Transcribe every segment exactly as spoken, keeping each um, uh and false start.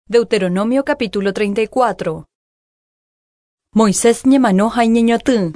Deuteronomio capítulo treinta y cuatro. Moisés ñemano ha iñeñotỹ.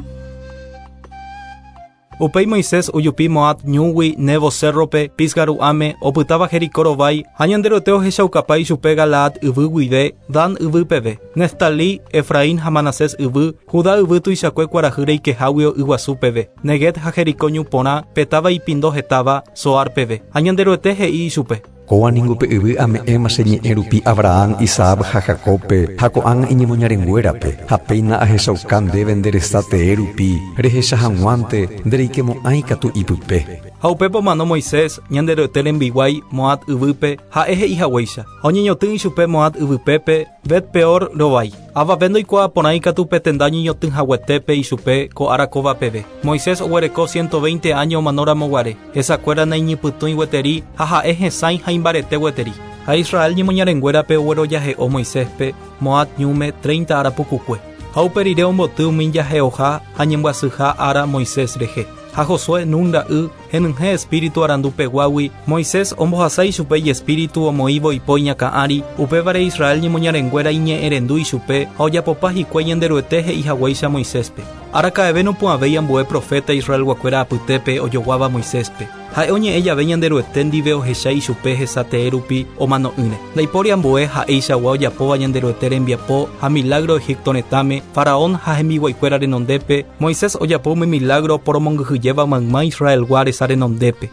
Upéi Moisés ojupi Moab ñúgui Nebo cérrope, Pisga ru'ãme, opytáva Jericó rovái, ha Ñanderuete ohechaukapa ichupe Galaad yvy guive, Dan yvy peve, Neftalí, Efraín ha Manasés yvy, Judá yvy tuichakue kuarahy reikeháguio yguasu peve, Neguev ha Jericó ñu porã, pe táva ipindo hetáva, Soar peve. Ha Ñanderuete he'i ichupe. Kóva ningo pe yvy ame'ẽma che ñe'ẽ rupi Abraham, Isaac ha Jacobpe, ha ko'ág̃a iñemoñarenguérape, ha péina ahechauka ndéve nde resa tee rupi, rehecha hag̃uánte ndereikemo'ãi katu ipype. Ha upépe omano Moisés, Ñanderuete rembiguái, Moab yvýpe, ha'e he'ihaguéicha. Ha oñeñotỹ ichupe Moab yvypépe, Bet-peor rovái. Avave ndoikuaaporãi katu pe tenda ñeñotỹ haguetépe ichupe ko ára kóva peve. Moisés oguereko ciento veinte años omanóramo guare. Hesakuéra naiñypytũi gueteri ha ha'e hesãi ha imbarete gueteri. Ha Israel ñemoñarenguérape oguerojahe'o Moiséspe, Moab ñúme treinta ára pukukue. Ha upe rire omboty umi jahe'oha ha ñembyasyha ára Moisés rehe. Ha Josué Nun ra'y henyhẽ espíritu arandupeguágui, Moisés ombohasa ichupe ijespíritu omoĩvo ipo iñakã'ári, upévare Israel ñemoñarenguéra iñe'ẽrendu ichupe ha ojapopa hikuái Ñanderuete he'ihaguéicha Moiséspe. Araka'eve nopu'ãvéi ambue profeta Israelguakuéra apytépe ojoguáva Moiséspe. Ha'e oñe'ẽ jave Ñanderuete ndive ohecha ichupe hesa tee rupi omano'ỹre. Ndaipóri ambue ha'eichagua ojapóva Ñanderuete rembiapo ha milagro Egipto retãme, Faraón ha hembiguaikuéra renondépe, Moisés ojapo umi milagro poromongyhyjéva mayma Israelgua resa renondépe.